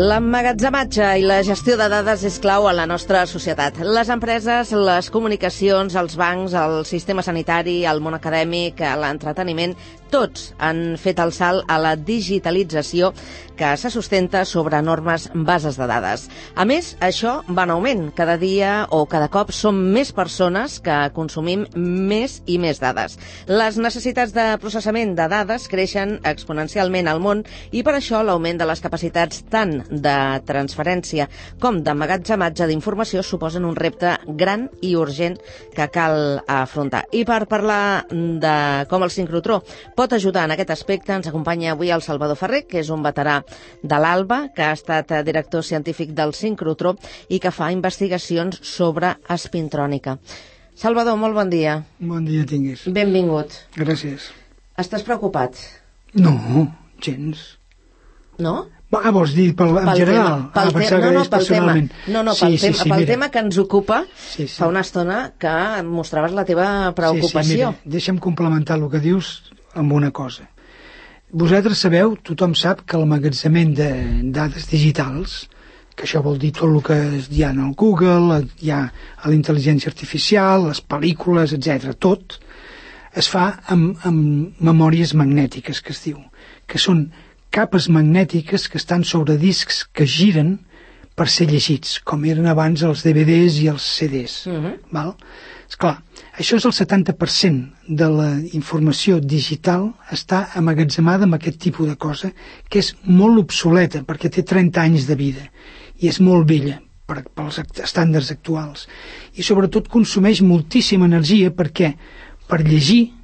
L'emmagatzematge i la gestió de dades és clau a la nostra societat. Les empreses, les comunicacions, els bancs, el sistema sanitari, el món acadèmic, l'entreteniment, tots han fet el salt a la digitalització que se sustenta sobre enormes bases de dades. A més, això va en augment. Cada dia o cada cop som més persones que consumim més i més dades. Les necessitats de processament de dades creixen exponencialment al món i per això l'augment de les capacitats tant de transferència com d'emmagatzematge d'informació suposen un repte gran i urgent que cal afrontar. I per parlar de com el sincrotró pot ajudar en aquest aspecte, ens acompanya avui el Salvador Ferrer, que és un veterà de l'ALBA, que ha estat director científic del sincrotró i que fa investigacions sobre espintrònica. Salvador, molt bon dia. Bon dia tinguis. Benvingut. Gràcies. Estàs preocupat? No, gens. No? Vols dir en general? Pel tema que ens ocupa, fa una estona que mostraves la teva preocupació. Sí, mira, deixa'm complementar el que dius amb una cosa. Vosaltres sabeu, tothom sap que l'emmagatzemament de dades digitals, que això vol dir tot el que hi ha en el Google, hi ha a la intel·ligència artificial, les pel·lícules, etc. Tot es fa amb memòries magnètiques, que es diu, que són capes magnètiques que estan sobre discs que giren per ser llegits, com eren abans els DVDs i els CDs. Val? Esclar, això és el 70% de la informació digital està emmagatzemada amb aquest tipus de cosa, que és molt obsoleta, perquè té 30 anys de vida, i és molt vella pels estàndards actuals. I sobretot consumeix moltíssima energia perquè per llegir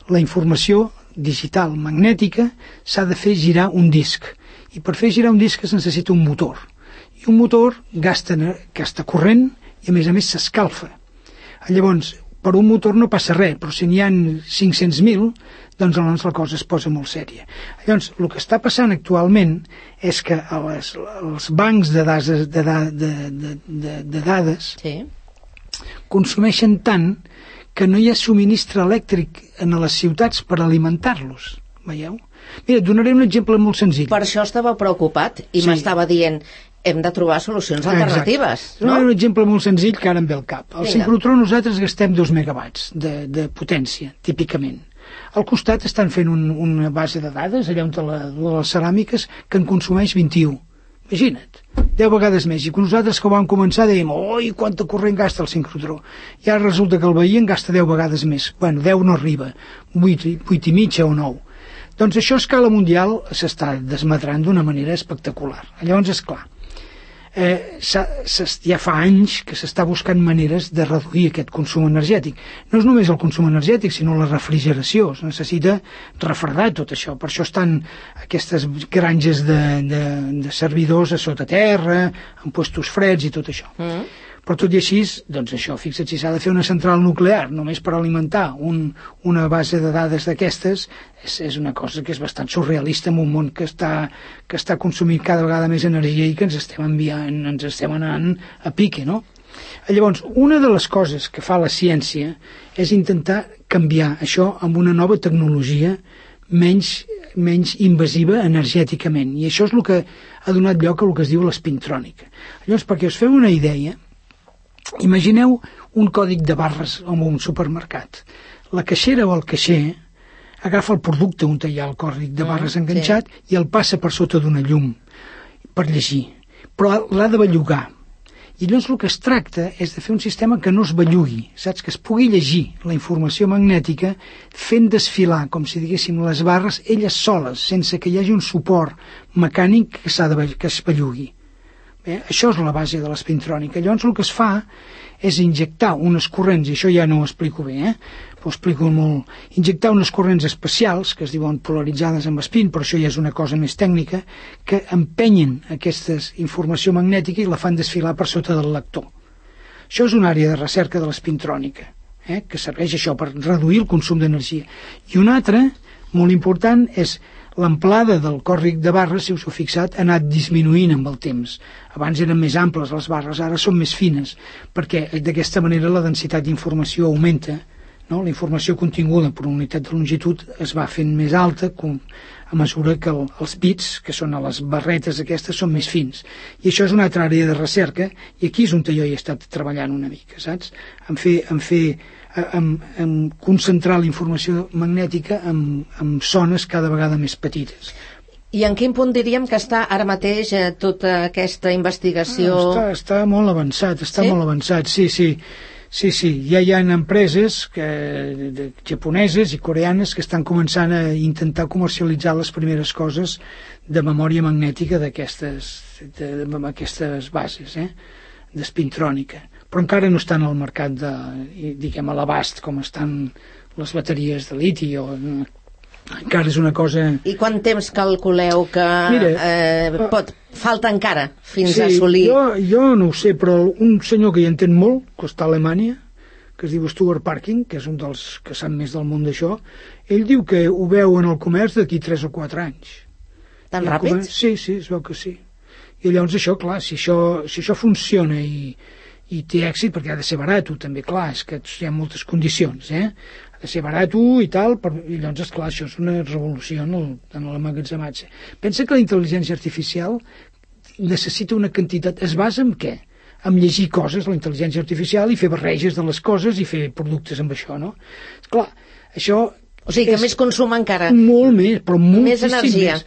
la informació digital magnètica s'ha de fer girar un disc, i per fer girar un disc es necessita un motor, i un motor gasta corrent i a més s'escalfa. Llavors, per un motor no passa res, però si n'hi ha 500.000, doncs aleshores la cosa es posa molt sèria. Llavors, el que està passant actualment és que els bancs de dades consumeixen tant que no hi ha subministre elèctric en les ciutats per alimentar-los. Veieu? Mira, et donaré un exemple molt senzill. Per això estava preocupat i m'estava dient hem de trobar solucions alternatives. No? Un exemple molt senzill que ara em ve al cap. Al sincrotró nosaltres gastem 2 megawatts de potència, típicament. Al costat estan fent una base de dades, allà on les ceràmiques, que en consumeix 21. Imagina't, 10 vegades més. I nosaltres que vam començar dèiem, oi, quanta corrent gasta el sincrotró. I ara resulta que el veí en gasta 10 vegades més. Bueno, 10 no arriba, 8 i mitja o 9. Doncs això a escala mundial s'està desmadrant d'una manera espectacular. Llavors, esclar, ja fa anys que s'està buscant maneres de reduir aquest consum energètic. No és només el consum energètic, sinó la refrigeració. Es necessita refredar tot això. Per això estan aquestes granges de servidors a sota terra, amb puestos freds i tot això. Però tot i així, doncs això, fixa't, si s'ha de fer una central nuclear només per alimentar una base de dades d'aquestes, és una cosa que és bastant surrealista en un món que està consumint cada vegada més energia i que ens estem anant a pique, no? Llavors, una de les coses que fa la ciència és intentar canviar això amb una nova tecnologia menys invasiva energèticament, i això és el que ha donat lloc a el que es diu l'espintrònica. Llavors, perquè us feu una idea, imagineu un còdic de barres en un supermercat. La caixera o el caixer agafa el producte on hi ha el còdic de barres enganxat i el passa per sota d'una llum per llegir, però l'ha de bellugar. I llavors el que es tracta és de fer un sistema que no es bellugui, saps? Que es pugui llegir la informació magnètica fent desfilar, com si diguéssim, les barres elles soles, sense que hi hagi un suport mecànic que es bellugui. Això és la base de l'espintrònica. Llavors el que es fa és injectar unes corrents, i això ja no ho explico bé, ho explico molt, injectar unes corrents especials, que es diuen polaritzades amb espín, però això ja és una cosa més tècnica, que empenyen aquesta informació magnètica i la fan desfilar per sota del lector. Això és una àrea de recerca de l'espintrònica, que serveix això per reduir el consum d'energia. I una altra, molt important, és l'amplada del còdic de barres, si us heu fixat, ha anat disminuint amb el temps. Abans eren més amples les barres, ara són més fines, perquè d'aquesta manera la densitat d'informació augmenta, no? La informació continguda per unitat de longitud es va fent més alta a mesura que els bits, que són a les barretes aquestes, són més fins. I això és una altra àrea de recerca, i aquí és on jo he estat treballant una mica, saps? En concentrar la informació magnètica en zones cada vegada més petites. I en quin punt diríem que està ara mateix tota aquesta investigació? Està molt avançat, molt avançat, sí. Ja hi ha empreses japoneses i coreanes que estan començant a intentar comercialitzar les primeres coses de memòria magnètica d'aquestes bases, d'espintrònica. Però encara no estan al mercat diguem, a l'abast com estan les bateries de liti o... Encara és una cosa... I quant temps calculeu que falta encara fins a assolir? Jo no ho sé, però un senyor que hi entén molt, que està a Alemanya, que es diu Stuart Parking, que és un dels que sap més del món d'això, ell diu que ho veu en el comerç d'aquí 3 o 4 anys. Tan ràpid? Sí, es veu que sí. I llavors això, clar, si això funciona i té èxit, perquè ha de ser barat, també, clar, és que hi ha moltes condicions, ha de ser barat i tal, i llavors, esclar, això és una revolució en l'emmagatzematge. Pensa que la intel·ligència artificial necessita una quantitat... Es basa en què? En llegir coses, la intel·ligència artificial, i fer barreges de les coses i fer productes amb això, no? Esclar, això... O sigui que més consum encara. Molt més, però moltíssim energia.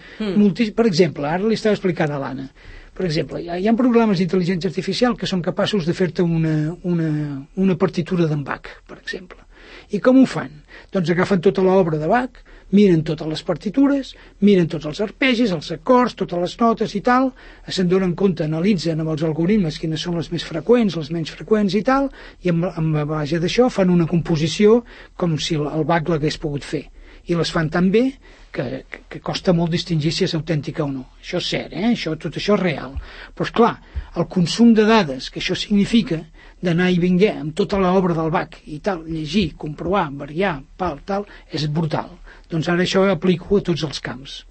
Per exemple, ara li estava explicant a l'Anna, per exemple, hi ha programes d'intel·ligència artificial que són capaços de fer-te una partitura d'en Bach, per exemple. I com ho fan? Doncs agafen tota l'obra de Bach, miren totes les partitures, miren tots els arpegis, els acords, totes les notes i tal, se'n donen compte, analitzen amb els algoritmes quines són les més freqüents, les menys freqüents i tal, i amb la base d'això fan una composició com si el Bach l'hagués pogut fer. I les fan tan bé que costa molt distingir si és autèntica o no. Això és cert, tot això és real. Però, esclar, el consum de dades que això significa d'anar i vinguer amb tota l'obra del Bach i tal, llegir, comprovar, variar, tal, és brutal. Doncs ara això ho aplico a tots els camps.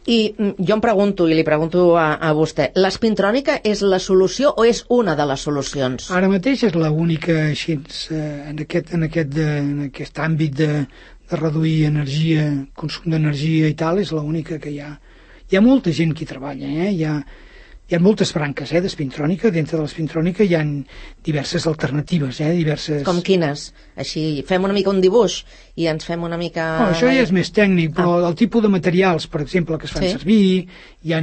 I jo em pregunto, i li pregunto a vostè, l'espintrònica és la solució o és una de les solucions? Ara mateix és l'única, així, en aquest àmbit de reduir energia, consum d'energia i tal, és l'única que hi ha. Hi ha molta gent que hi treballa, hi ha moltes branques d'espintrònica. Dintre de l'espintrònica hi ha diverses alternatives, diverses... Com quines? Així, fem una mica un dibuix i ens fem una mica... No, això ja és més tècnic, però el tipus de materials, per exemple, que es fan servir, hi ha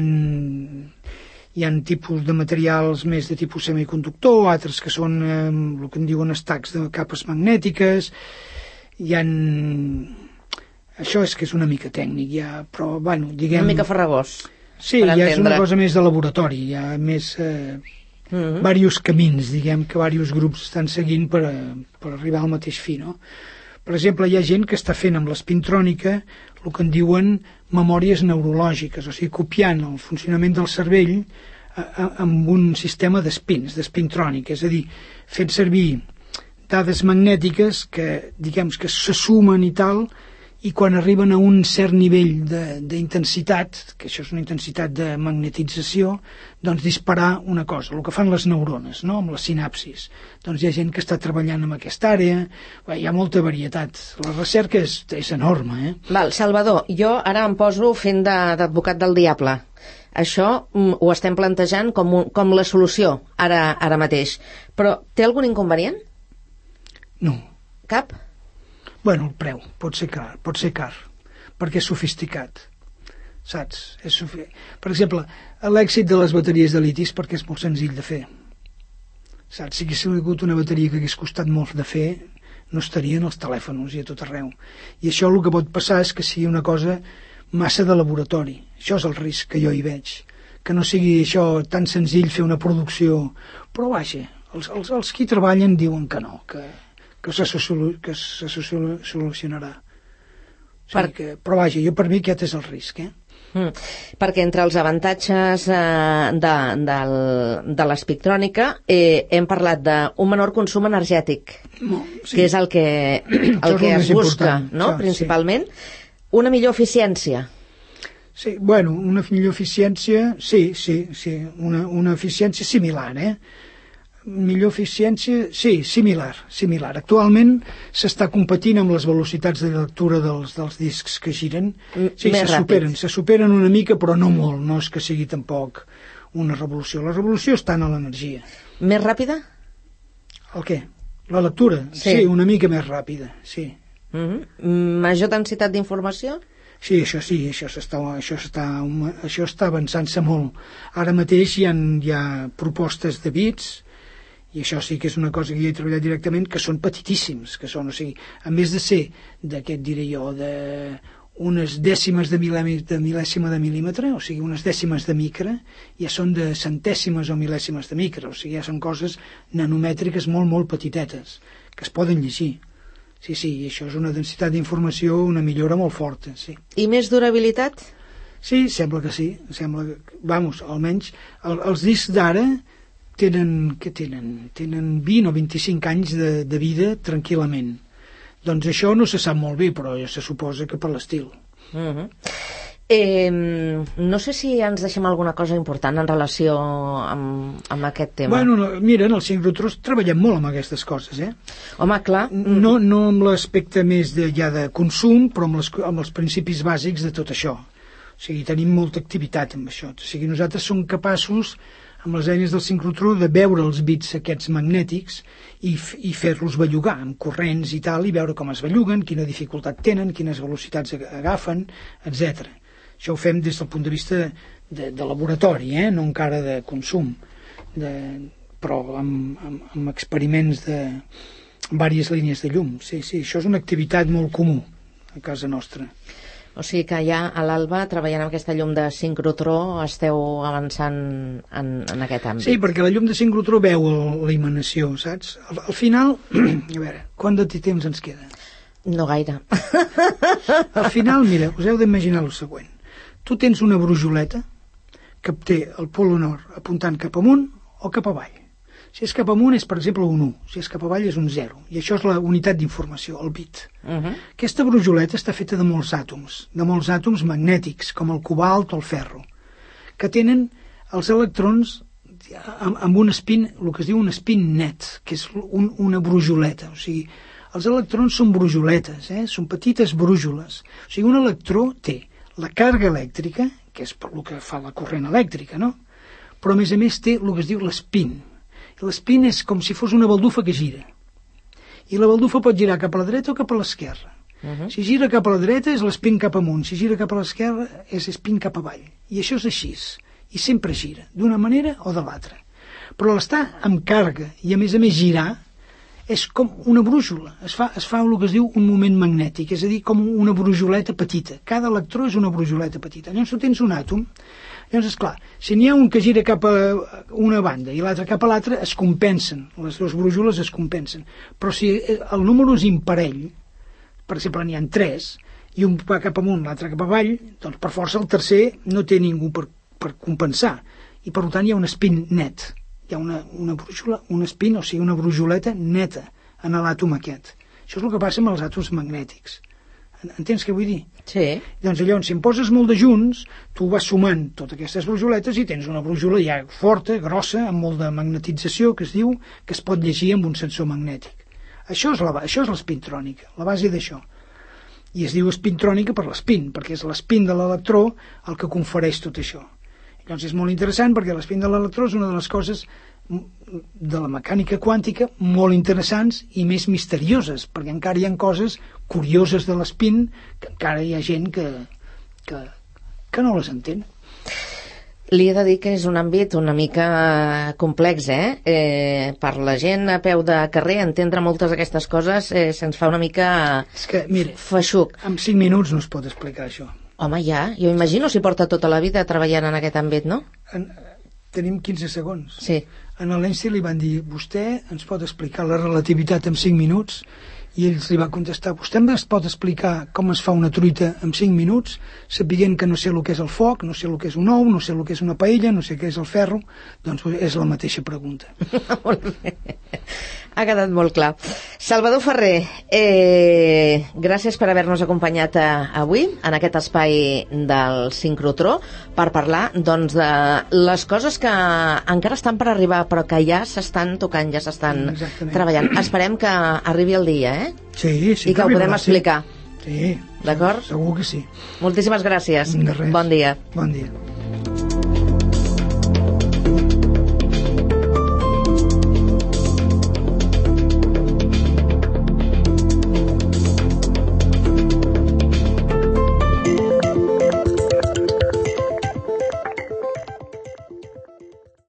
tipus de materials més de tipus semiconductor, altres que són el que en diuen stacks de capes magnètiques. Això és que és una mica tècnic, però, bueno, diguem... Una mica farragós. Sí, és una cosa més de laboratori, hi ha més diversos camins, diguem, que diversos grups estan seguint per arribar al mateix fi, no? Per exemple, hi ha gent que està fent amb l'espintrònica el que en diuen memòries neurològiques, o sigui, copiant el funcionament del cervell amb un sistema d'espintrònica, és a dir, fent servir dades magnètiques que, diguem, que se sumen i tal, i quan arriben a un cert nivell d'intensitat, que això és una intensitat de magnetització, doncs disparar una cosa, el que fan les neurones, no?, amb les sinapsis. Doncs hi ha gent que està treballant en aquesta àrea, hi ha molta varietat. La recerca és enorme, Val, Salvador, jo ara em poso fent d'advocat del diable. Això ho estem plantejant com la solució, ara mateix. Però té algun inconvenient? No. Cap? Bueno, el preu pot ser car, perquè és sofisticat, saps? Per exemple, l'èxit de les bateries de litis perquè és molt senzill de fer, saps? Si hagués sigut una bateria que hagués costat molt de fer, no estarien als telèfons i a tot arreu. I això el que pot passar és que sigui una cosa massa de laboratori. Això és el risc que jo hi veig, que no sigui això tan senzill fer una producció. Però vaja, els qui treballen diuen que no, que se solucionarà. Però vaja, per mi aquest és el risc, Perquè entre els avantatges de l'espintrònica hem parlat d'un menor consum energètic, que és el que es busca, no?, principalment. Una millor eficiència. Sí, bueno, una millor eficiència, sí, una eficiència similar, Millor eficiència, sí, similar. Actualment s'està competint amb les velocitats de lectura dels discs que giren. Sí, se superen una mica, però no molt, no és que sigui tampoc una revolució. La revolució està en l'energia. Més ràpida? El què? La lectura? Sí, una mica més ràpida, sí. Major densitat d'informació? Sí, això està avançant-se molt. Ara mateix hi ha propostes de bits, i això sí que és una cosa que jo he treballat directament, que són petitíssims, que són, o sigui, a més de ser d'aquest, diré jo, unes dècimes de mil·lèsima de mil·límetre, o sigui, unes dècimes de micra, ja són de centèsimes o mil·lèsimes de micra, o sigui, ja són coses nanomètriques molt, molt petitetes, que es poden llegir. Sí, i això és una densitat d'informació, una millora molt forta, sí. I més durabilitat? Sí, sembla que sí. Vamos, almenys, els discs d'ara tenen 20 o 25 anys de vida tranquil·lament. Doncs això no se sap molt bé, però ja se suposa que per l'estil. No sé si ens deixem alguna cosa important en relació amb aquest tema. Bueno, mira, en el sincrotró treballem molt amb aquestes coses, Home, clar. No amb l'aspecte més de consum, però amb els principis bàsics de tot això. O sigui, tenim molta activitat amb això. O sigui, nosaltres som capaços, amb les eines del sincrotró, de veure els bits aquests magnètics i fer-los bellugar amb corrents i tal, i veure com es belluguen, quina dificultat tenen, quines velocitats agafen, etc. Això ho fem des del punt de vista de laboratori, no encara de consum, però amb experiments de diverses línies de llum. Sí, això és una activitat molt comú a casa nostra. O sigui que ja a l'Alba, treballant amb aquesta llum de sincrotró, esteu avançant en aquest àmbit. Sí, perquè la llum de sincrotró veu la emanació, saps? Al final, a veure, quant de temps ens queda? No gaire. Al final, mira, us heu d'imaginar el següent. Tu tens una brujoleta que té el pol nord apuntant cap amunt o cap avall. Si és cap amunt és, per exemple, un 1. Si és cap avall és un 0. I això és la unitat d'informació, el bit. Aquesta brujoleta està feta de molts àtoms magnètics, com el cobalt o el ferro, que tenen els electrons amb un spin, el que es diu un spin net, que és una brujoleta. O sigui, els electrons són brujoletes, són petites brújoles. O sigui, un electró té la càrrega elèctrica, que és per el que fa la corrent elèctrica, no? Però a més té el que es diu l'espin. L'espin és com si fos una baldufa que gira. I la baldufa pot girar cap a la dreta o cap a l'esquerra. Si gira cap a la dreta és l'espin cap amunt, si gira cap a l'esquerra és l'espin cap avall. I això és així. I sempre gira, d'una manera o de l'altra. Però l'estar amb càrrega i a més girar és com una brújula. Es fa el que es diu un moment magnètic, és a dir, com una brujoleta petita. Cada electró és una brujoleta petita. Llavors tu tens un àtom. Llavors, esclar, si n'hi ha un que gira cap a una banda i l'altre cap a l'altra, es compensen, les dues brújoles es compensen. Però si el número és imparell, per exemple, n'hi ha 3, i un va cap amunt, l'altre cap avall, doncs per força el tercer no té ningú per compensar, i per tant hi ha un spin net. Hi ha una brújola, un spin, o sigui, una brujoleta neta en l'àtom aquest. Això és el que passa amb els àtoms magnètics. Entens què vull dir? Sí. Doncs llavors, si em poses molt de junts, tu vas sumant totes aquestes brujoletes i tens una brújola ja forta, grossa, amb molt de magnetització, que es diu, que es pot llegir amb un sensor magnètic. Això és l'espintrònica, la base d'això. I es diu espintrònica per l'espin, perquè és l'espin de l'electró el que confereix tot això. Llavors és molt interessant perquè l'espin de l'electró és una de les coses de la mecànica quàntica molt interessants i més misterioses, perquè encara hi ha coses curioses de l'espin que encara hi ha gent que no les entén. Li he de dir que és un àmbit una mica complex, per la gent a peu de carrer entendre moltes d'aquestes coses se'ns fa una mica feixuc. En 5 minuts no es pot explicar això. Home, ja, jo imagino si porta tota la vida treballant en aquest àmbit, no? Tenim 15 segons. Sí. En l'Einstein li van dir, vostè ens pot explicar la relativitat en 5 minuts? I ells li va contestar: vostè em pot explicar com es fa una truita en 5 minuts, sapiguent que no sé el que és el foc, no sé el que és un ou, no sé el que és una paella, no sé què és el ferro? Doncs és la mateixa pregunta. Molt bé. Ha quedat molt clar. Salvador Ferrer, gràcies per haver-nos acompanyat avui en aquest espai del sincrotró per parlar doncs, de les coses que encara estan per arribar però que ja s'estan tocant, ja s'estan treballant. Esperem que arribi el dia, Sí, i que ho podem explicar. Sí, d'acord? segur que sí. Moltíssimes gràcies. De res. Bon dia. Bon dia.